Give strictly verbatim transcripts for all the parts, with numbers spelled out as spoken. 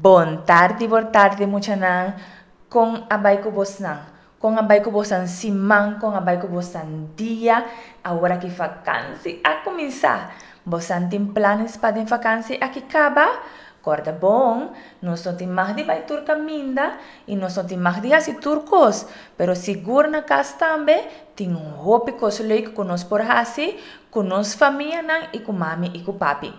Bon tardi, bon tardi muchanan. Kon a bai ku bosnan? Kon a bai ku bosnan siman? Kon a bai ku bosnan dia? Awor aki vakansi a kuminsá. Bosan tin planes pa den vakansi aki kaba? Kòrda bon, nos no tin mag di bai tur kaminda i nos no tin mag di hasi tur kos, pero sigur na kas tambe tin hopi kos leuk ku nos por hasi ku nos famianan i ku mami i ku papi.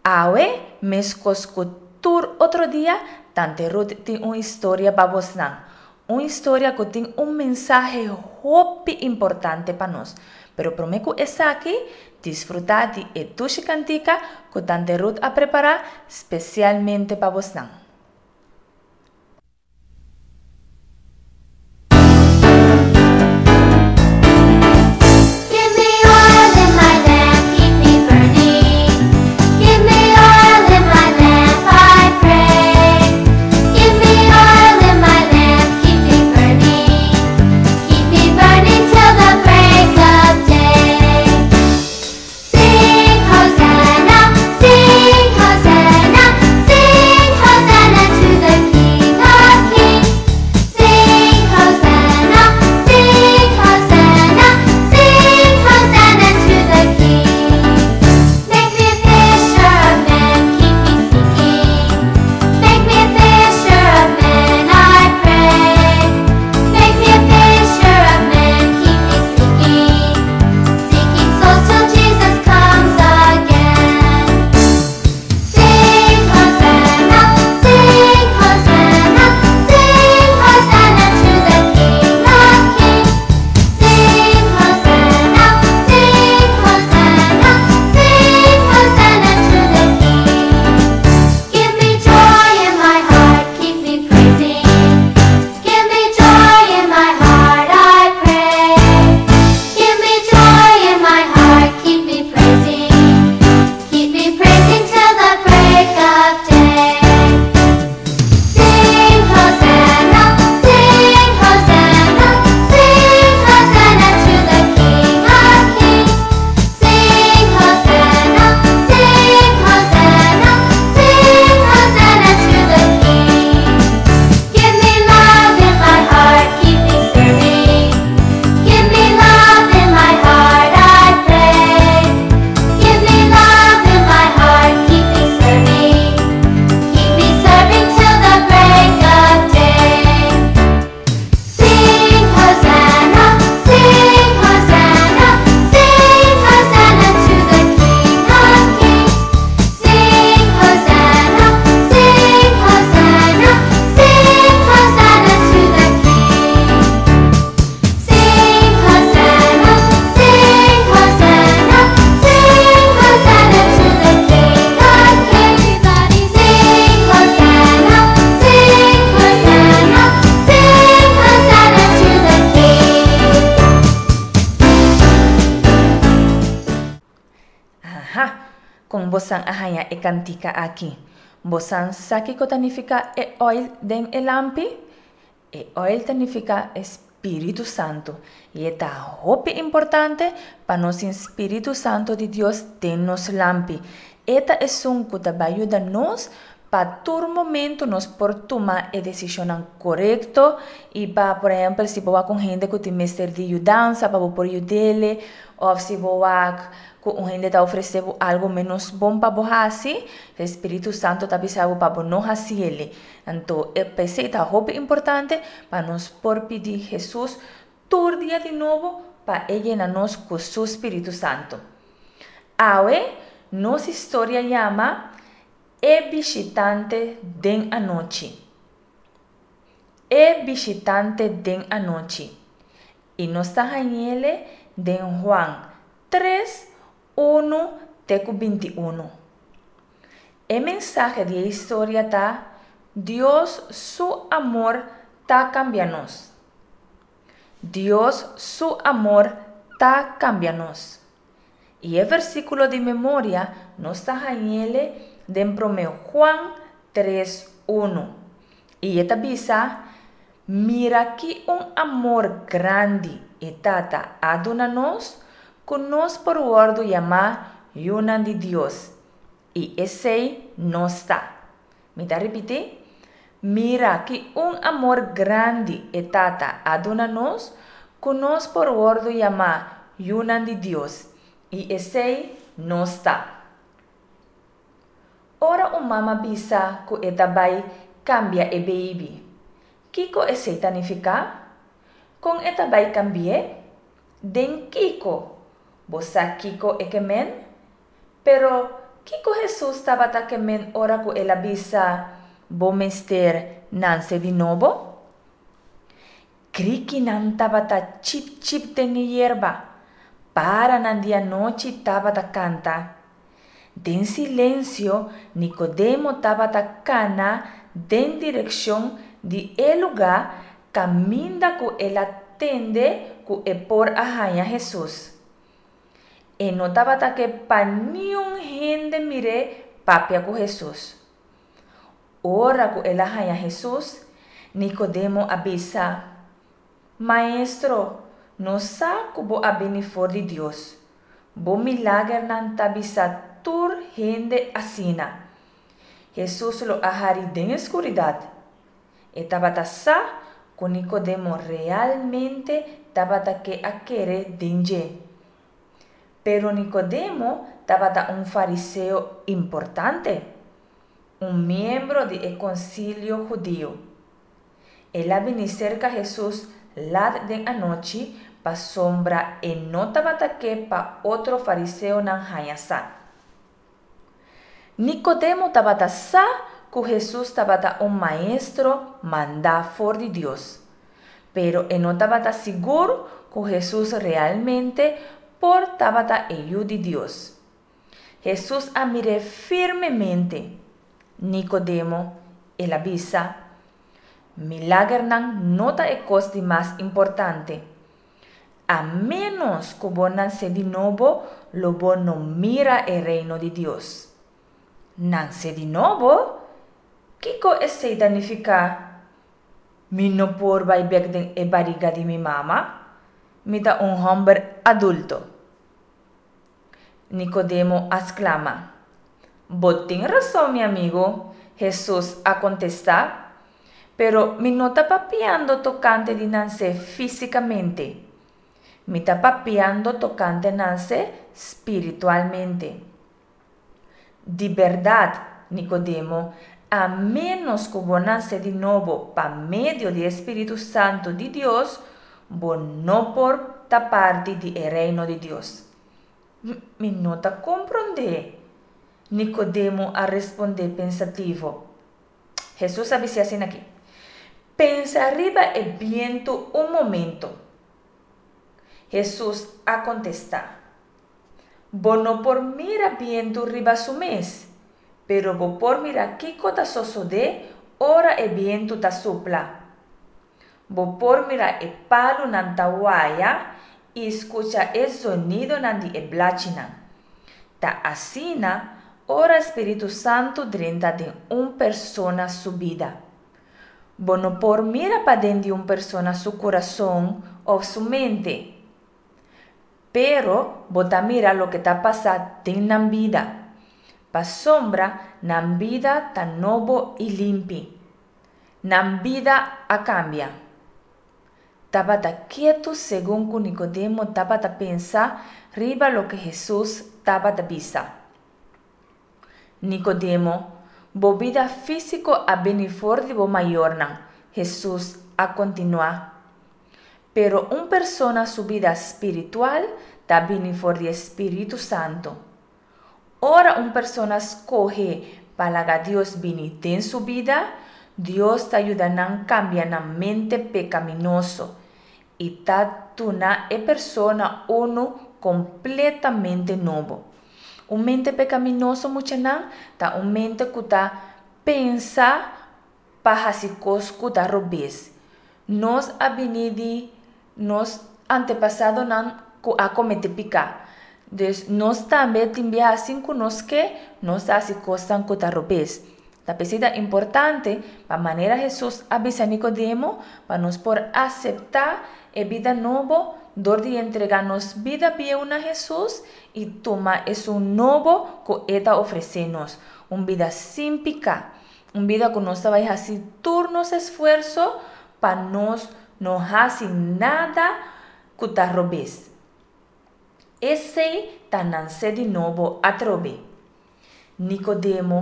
Awe, meskos ku tur otro dia, Tante Ruth tin un historia pa bosnan. Un historia ku tin un mensahe hopi importante pa nos. Pero promé ku esaki, disfrutá di e dushi kantika ku Tante Ruth a prepará spesialmente pa bosnan. Give me oil in my lamp, keep me burning. Give me oil in my lamp, I pray. Give me oil in my lamp, keep me burning. Keep me burning till the break of day. Sing Hosanna, sing Hosanna, sing Hosanna to the King of Kings. Sing Hosanna, sing Hosanna, sing Hosanna to the King. Make me a fisher of men, keep me seeking. Make me a fisher of men, I pray. Make me a fisher of men, keep me seeking. Seeking souls till Jesus comes again. Sing Hosanna, sing Hosanna, sing Hosanna to the King of Kings. Sing Hosanna, sing Hosanna, sing Hosanna to the King. Give me joy in my heart, keep me praising. Give me joy in my heart, I pray. Give me joy in my heart, keep me praising. Keep me praising till the break of day. Sing Hosanna, sing Hosanna, sing Hosanna to the King of Kings. Sing Hosanna, sing Hosanna, sing Hosanna to the King. Give me love in my heart, keep me serving. Give me love in my heart, I pray. Give me love in my heart, keep me serving. Keep me serving till the break of day. Sing Hosanna, sing Hosanna, sing Hosanna to the King of Kings. Sing Hosanna, sing Hosanna, sing Hosanna to the King. Sing Hosanna, sing Hosanna, sing Hosanna to the King of Kings. Everybody sing Hosanna, sing Hosanna, sing Hosanna to the King. Aha, kon bosan a haña e kantika aki? Bosan sa kiko ta nifiká e oil den e lampi? E oil ta nifiká e Spiritu Santu. I e ta hopi importante pa nos tin Spiritu Santu di Dios den nos lampi. E ta esun ku ta bai yuda nos pa tur momento nos por tuma e desishonnan korekto i pa, por ehèmpel, si bo wak un hende ku tin mester di yudansa pa bo por yud'é, òf si bo wak ku un hende ta ofresé bo algu ménos bon pa bo hasi, e Spiritu Santu ta bisa bo pa bo no hasiel. Anto e p'esei ta hopi importante pa nos por pidi Hesus tur dia di nobo pa e yena nos ku su Spiritu Santu. Awe nos historia yama E Bishitante den Anochi. E Bishitante den Anochi. I nos ta hañ'ele den Juan tres, unu te ku binti unu. E mensahe di e historia ta, Dios su amor ta kambia nos. Dios su amor ta kambia nos. I e versíkulo di memoria nos ta hañ'ele den Promé Juan tres, unu. I e ta bisa, Mira ki un amor grandi e Tata a duna nos, ku nos por wòrdu yamá yunan di Dios, i esei nos ta. Mi ta ripití: Mira ki un amor grandi e Tata a duna nos, ku nos por wòrdu yamá yunan di Dios, i esei nos ta. Ora un mama bisa ku e ta bai kambia e beibi, kiko esei ta nifiká? Kon e ta bai kambi'é? Den kiko? Bo sa kiko e ke men? Pero kiko Hesus tabata ke men ora ku el a bisa, Bo mester nase di nobo? Krikinan tabata chip chip den e yerba, paranan di anochi tabata kanta. Den silensio Nikodemo tabata kana den direkshon di e lugá kaminda ku el a tende ku e por a haña Hesus. E no tabata ke pa niun hende mir'é papia ku Hesus. Ora ku el a haña Hesus, Nikodemo a bisa, Maestro, nos sa ku bo a bini for di Dios. Bo milagernan ta bisa tur hende asina. Hesus lo a hari den e skuridat. E tabata sa ku Nikodemo realmente tabata ke a kere den dje. Pero Nikodemo tabata un fariseo importante, un miembro di e konsilio hudiu. El a bini serka Hesus lat den anochi pasobra e no tabata ke pa otro fariseonan haña sa. Nikodemo tabata sa ku Hesus tabata un maestro mandá for di Dios, pero e no tabata sigur ku Hesus realmente por tabata e Yu di Dios. Hesus a mir'é firmemente. Nikodemo, el a bisa, milagernan no ta e kos di mas importante. A ménos ku bo nase di nobo, lo bo no mira e reino di Dios. Nase di nobo? Kiko esei ta nifiká? Mi no por bai bèk den e bariga di mi mama? Mi ta un hòmber adulto. Nikodemo a sklama. Bo tin rason, mi amigu, Hesus a kontestá, pero mi no ta papiando tokante di nase físikamente. Mi ta papiando tokante nase spiritualmente. Di bèrdat, Nikodemo, a ménos ku bo nase di nobo pa medio di e Spiritu Santu di Dios, bo no por ta parti di e reino di Dios. Mi no ta komprondé, Nikodemo a respondé pensativo. Hesus a bis'é asin'akí, Pensa riba e bientu un momento. Hesus a kontestá, Bo no por mira bientu riba su mes, pero bo por mira kiko ta sosodé ora e bientu ta supla. Bo por mira e palunan ta waya i skucha e zonidonan di e blachinan. Ta asina ora spiritu santu drenta den un persona su bida. Bo no por mira paden di un persona su kurason òf su mente, pero bo ta mira loke ta pasa den nan bida, pasobra nan bida ta nobo i limpi. Nan bida a kambia. Tabata ketu segun ku Nikodemo tabata pensa riba loke Hesus tabata bisa. Nikodemo, bo bida físiko a bini for di bo mayornan, Hesus a kontinuá. Pero un persona su bida spiritual ta bini for di e Spiritu Santu. Ora un persona skohe pa laga Dios bini den su bida, Dios ta yuda nan kambia nan mente pekaminoso i ta duna e persona unu kompletamente nobo. Un mente pekaminoso, muchanan, ta un mente ku ta pensa pa hasi kos ku ta robes. Nos a bini di nos antepasadonan ku a kometé piká. Dus nos tambe tin biaha sin ku nos ke, nos ta hasi kosnan ku ta robes. Ta p'esei ta importante pa manera Hesus a bisa Nikodemo pa nos por aseptá e bida nobo dor di entregá nos bida bieu na Hesus i tuma esun nobo ku e ta ofresé nos, un bida sin piká, Un bida ku nos ta bai hasi tur nos esfuerso pa nos no hasi nada ku ta robes. Esei ta nanse di nobo atrobe. Nikodemo,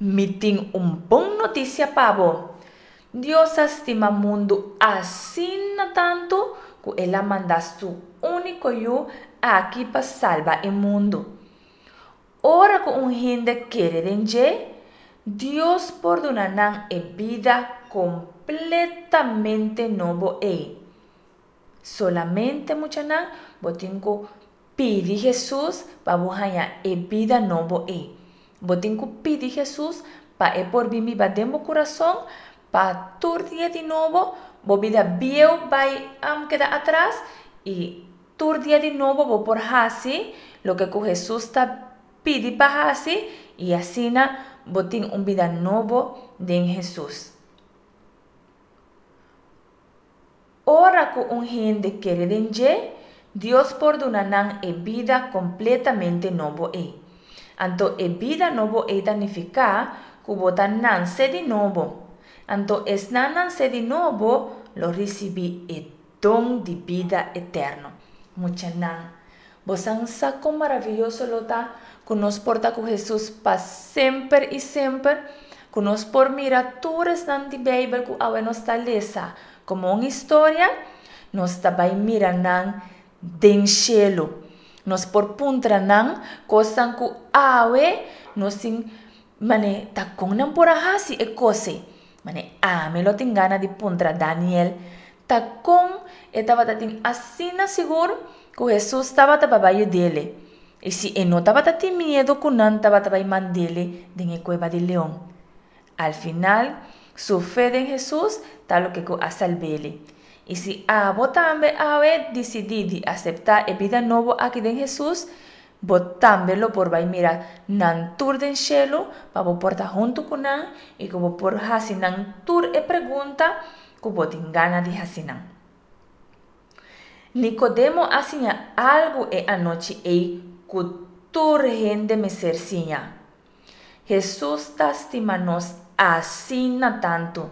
mi tin un bon notisia pa bo. Dios a stima mundu asina tantu ku el a manda su úniko Yu aki pa salba e mundu. Ora ku un hende kere den dje, Dios por duna nan e bida kompletamente nobo ei. Solamente, muchanan, bo tin ku pidi Hesus pa bo haña e bida nobo ei. Bo tin ku pidi Hesus pa e por bin biba den bo kurason, pa tur dia di nobo bo bida bieu bai keda atras i tur dia di nobo bo por hasi loke ku Hesus ta pidi pa hasi i asina bo tin un bida nobo den Hesus. Ora ku un hende kere den dje, Dios por duna nan e bida kompletamente nobo ei. Anto e bida nobo ei ta nifiká ku bo ta nanse di nobo. Anto esnan nanse di nobo lo risibí e don di bida eterno. Muchanan, bosan sa kon maravioso lo ta ku nos por ta ku Hesus pa semper i semper? Ku nos por mira tur esnan di Beibel ku awe nos ta lesa komo un historia, nos ta bai mira nan den shelu. Nos por puntra nan kosnan ku awe nos tin mane ta kon nan por a hasi e kos ei. Mane ami lo tin gana di puntra Daniel ta kon e tabata tin asina sigur ku Hesus tabata pa bai yud'é. I si e no tabata tin miedu ku nan tabata bai mand'é den e kueba di leon. Al final, su fe den Hesus ta loke ku a salb'é. I si abo tambe awe disidí di aseptá e bida nobo aki den Hesus, bo tambe lo por bai mira nan tur den shelu pa bo por ta huntu ku nan i ku bo por hasi nan tur e pregunta ku bo tin gana di hasi nan. Nikodemo a siña algu e anochi ei ku tur hende mester siña. Hesus ta stima nos asina tantu.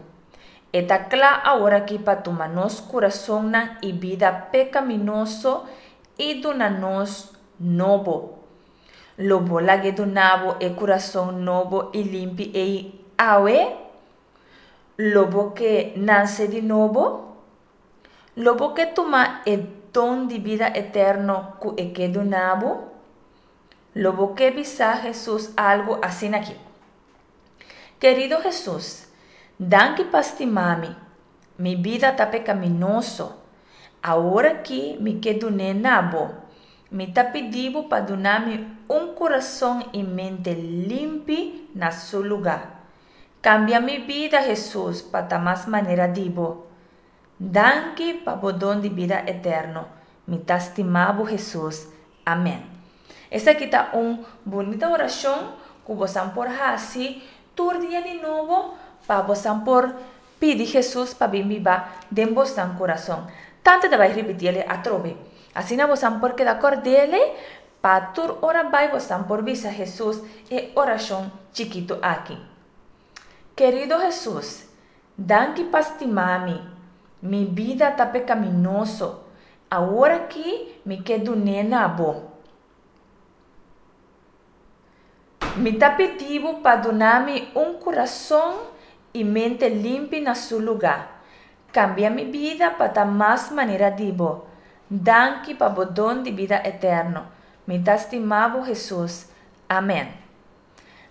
E ta kla aworakí pa tuma nos kurasonnan i bida pekaminoso i duna nos nobo. Lo bo lag'é duna bo e kurason nobo i limpi ei awe? Lo bo ke nanse di nobo? Lo bo ke tuma e don di bida eterno ku e ke duna bo? Lo bo ke bisa Hesus algu asin'akí? Kerido Hesus, danki pa stima mi. Mi bida ta pekaminoso. Aworakí mi ke dun'é na bo. Mi ta pidi bo pa duna mi un kurason i mente limpi na su lugá. Kambia mi bida, Hesus, pa ta mas manera di bo. Danki pa bo don di bida eterno. Mi ta stima bo, Hesus. Amèn. Esaki ta un bunita orashon ku bosan por hasi tur dia di nobo pa bosan por pidi Hesus pa bin biba den bosan kurason. Tante ta bai ripitiele atrobe. Asina bosan por keda kòrd'ele pa tur ora bai bosan por bisa Hesus e orashon chikitu aki. Kerido Hesus, danki pa stima mi. Mi bida ta pekaminoso. Aworakí mi ke dun'é na bo. Mi ta pidi bo pa duna mi un kurason i mente limpi na su lugá. Kambia mi bida pa ta mas manera di bo. Danki pa bo don di bida eterno. Mi ta stima bo, Hesus. Amèn.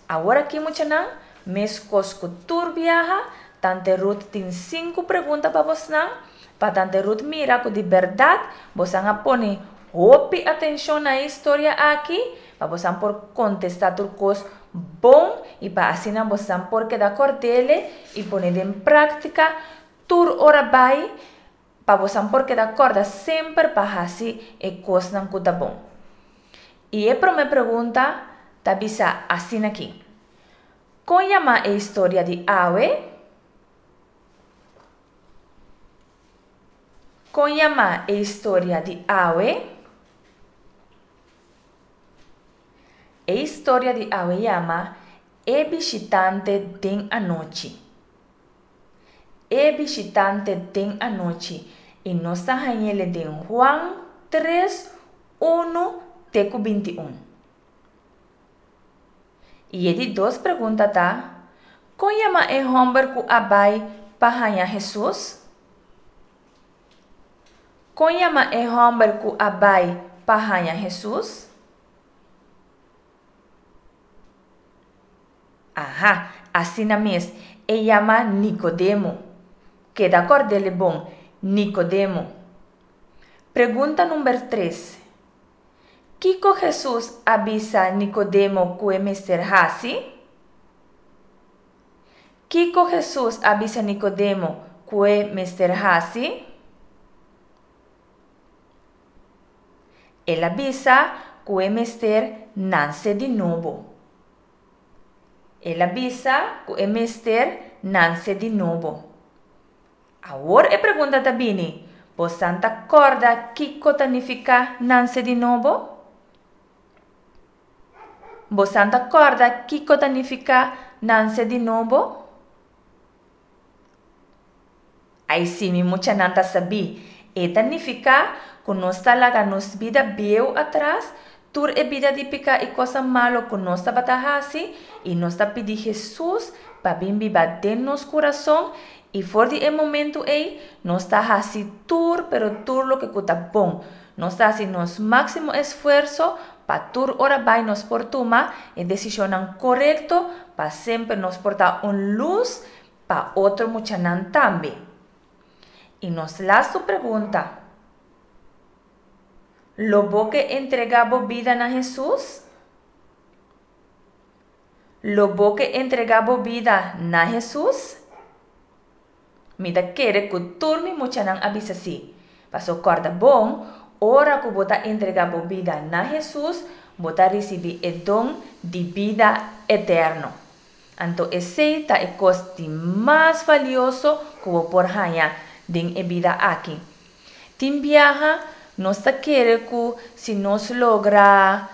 Aworakí muchanan, meskos ku tur biaha, Tante Ruth tin sinku pregunta pa bosnan, pa Tante Ruth mira ku di bèrdat bosan a pone hopi atenshon na e historia aki, pa bosan por kontestá tur kos bon i pa asina bosan por keda kòrd'é i pone den práktika tur ora bai, pa bosan por keda kòrda semper pa hasi e kosnan ku ta bon. I e promé pregunta ta bisa asin'akí, Kon yama e historia di awe? Kon yama e historia di awe? E historia di awe yama E bishitante den anochi. E bishitante den anochi. I nos ta hañ'é den Juan tres, unu te ku binti un. I e di dos pregunta ta, Kon yama e hòmber ku a bai pa haña Hesus? Kon yama e hòmber ku a bai pa haña Hesus? Aha, asina mes, e yama Nikodemo. Keda kòrd'é bon, Nikodemo. Pregunta number tres. Kiko Hesus a bisa Nikodemo ku e mester hasi? Kiko Hesus a bisa Nikodemo ku e mester hasi? El a bisa ku e mester nanse di nobo. El a bisa ku e mester nanse di nobo. Awor e pregunta ta bini, bosan ta kòrda kiko ta nifiká nanse di nobo? Bosan ta kòrda kiko ta nifiká nanse di nobo? Ai sí, mi muchanan ta sabí. E ta nifiká ku nos ta laga nos bida bieu atras, tur e bida di piká i kosnan malu ku nos tabata hasi, i nos ta pidi Hesus pa bin biba den nos kurason, i for di e momentu ei nos ta hasi tur pero tur loke ku ta bon. Nos ta hasi nos máksimo esfuerso pa tur ora bai nos por tuma e desishonnan korekto pa semper nos por ta un lus pa otro muchanan tambe. I nos lastu pregunta. Lo bo ke entregá bo bida na Hesus? Lo bo ke entregá bo bida na Hesus? Mi ta kere ku tur mi muchanan a bisa sí. Paso kòrda bon, ora ku bo ta entregá bo bida na Hesus, bo ta risibí e don di bida eterno. Anto esei ta e kos di mas valioso ku bo por haña den e bida aki. Tin biaha nos ta kere ku si nos logra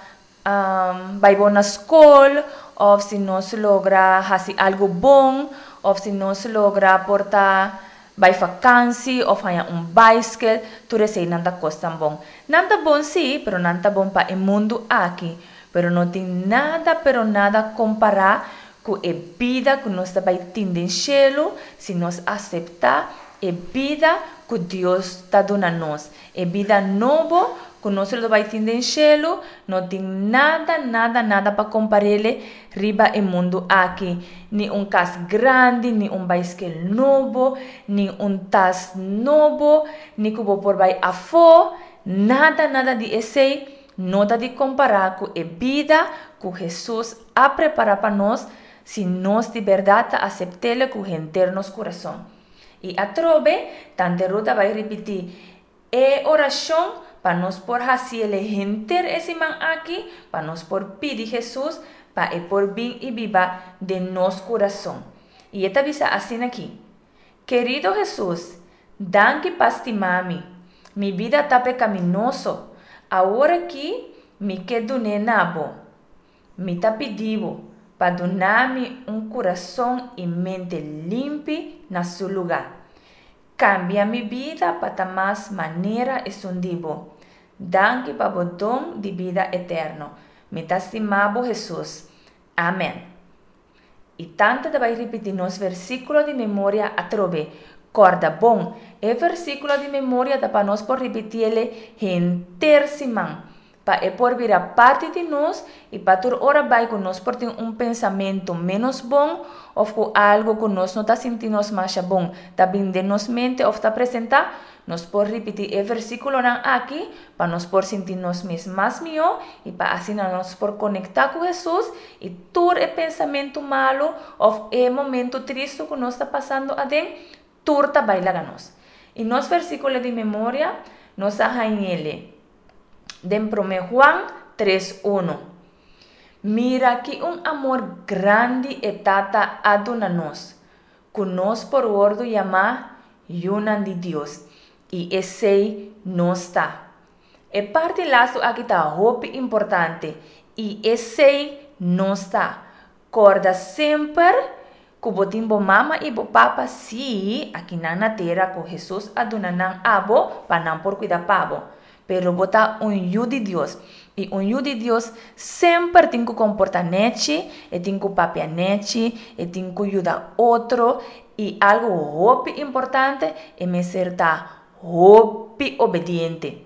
bai bon na skol, òf si nos logra hasi algu bon, òf si nos logra por ta bai fakansi òf haña un baiskel, tur eseinan ta kosnan bon. Nan ta bon sí, pero nan ta bon pa e mundu aki. Pero no tin nada pero nada kompará ku e bida ku nos ta bai tin den shelu si nos aseptá e bida ku Dios ta duna nos. E bida nobo ku nos lo bai tin den shelu, no tin nada, nada, nada pa kompar'é riba e mundu aki. Ni un kas grandi, ni un baiskel nobo, ni un tas nobo, ni ku bo por bai afó, nada, nada di esei no ta di kompará ku e bida ku Hesus a prepará pa nos si nos di bèrdat ta asept'é ku henter nos kurason. I atrobe, Tante Ruth a bai ripití e orashon pa nos por hasiele henter e siman aki, pa nos por pidi Hesus pa e por bin i biba den nos kurason. I e ta bisa asina aki, Kerido Hesus, danki pa stima mi. Mi bida ta pekaminoso. Awor aki mi ke dun'é na bo. Mi ta pidi bo pa duna mi un kurason i mente limpi na su lugá. Kambia mi bida pa ta mas manera esun di bo. Danki pa bo don di bida eterno. Mi ta stima bo Hesus. Amen. I tante ta bai ripití nos versíkulo di memoria atrobe. Kòrda bon, e versíkulo di memoria ta pa nos por ripitiele henter siman, pa e por bira parti di nos i pa tur ora bai ku nos por tin un pensamentu ménos bon òf ku algu ku nos no ta sinti nos masha bon ta bin den nos mente òf ta presentá, nos por ripití e versíkulonan aki pa nos por sinti nos mes mas mihó i pa asina nos por konektá ku Hesus i tur e pensamentu malu òf e momentu tristu ku nos ta pasando aden, tur ta bai laga nos. I nos versíkulo di memoria nos a hañ'ele den Promé Juan tres unu. Mira ki un amor grandi e Tata a duna nos, ku nos por wòrdu yamá yunan di Dios, i esei nos ta. E parti lastu aki ta hopi importante, i esei nos ta. Korda semper ku bo tin bo mama i bo papa sí akinan na tera ku Hesus a duna nan abo pa nan por kuida pa bo. Pero bo ta un yu di Dios. I un yu di Dios semper tin ku komportá nechi, e tin ku papia nechi, e tin ku yuda otro i algu hopi importante, e mester ta hopi obediente.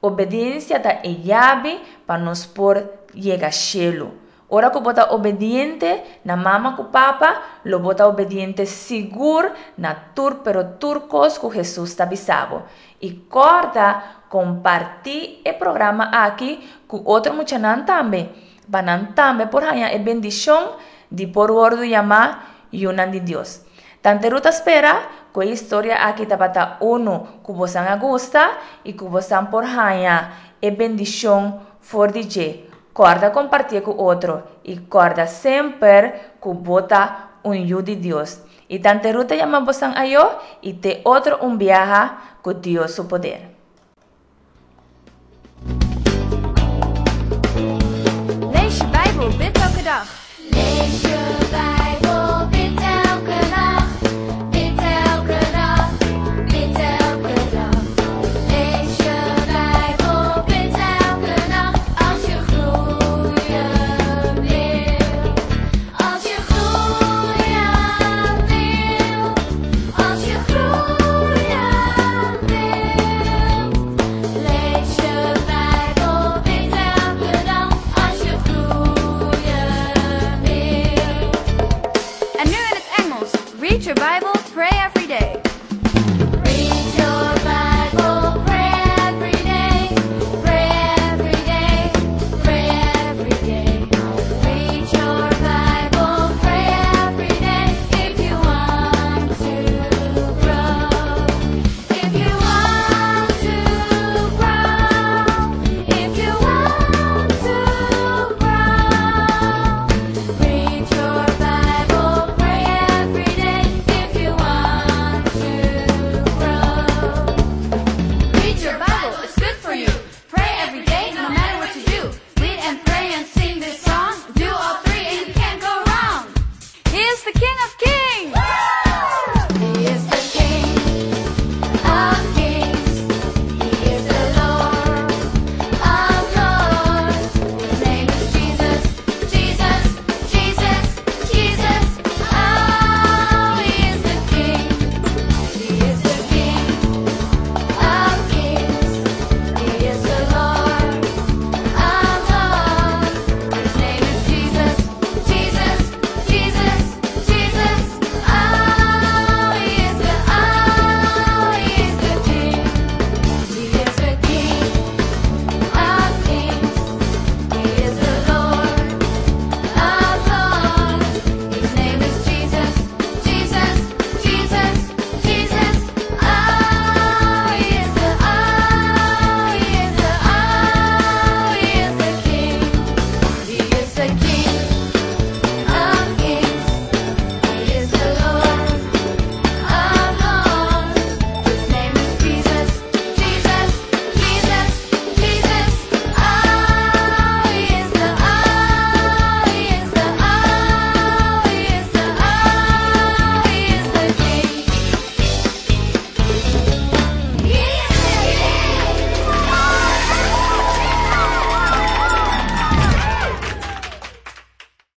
Obediensia ta e yabi pa nos por yega shelu. Ora ku bo ta obediente na mama ku papa, lo bo ta obediente sigur na tur pero tur kos ku Hesus ta bisa bo. I korda kompartí e programa aki ku otro muchanan tambe, pa nan tambe por haña e bendishon di por wòrdu yamá yunan di Dios. Tante Ruth ta spera ku e historia aki tabata unu ku bosan a gusta i ku bosan por haña e bendishon for di dje. Korda kompartié ku otro i korda semper ku bo ta un yu di Dios. I Tante Ruth ta yama bosan ayo i te otro un biaha ku Dios su poder. Lees je Bijbel, bid elke dag. Lees je Bijbel, bid elke dag. Bid elke dag, bid elke dag. Lees je Bijbel, bid elke dag. Als je groeien wil. Als je groeien wil. Als je groeien wil. Lees je Bijbel, bid elke dag. Als je groeien wil. En nu in het Engels. Read your Bible.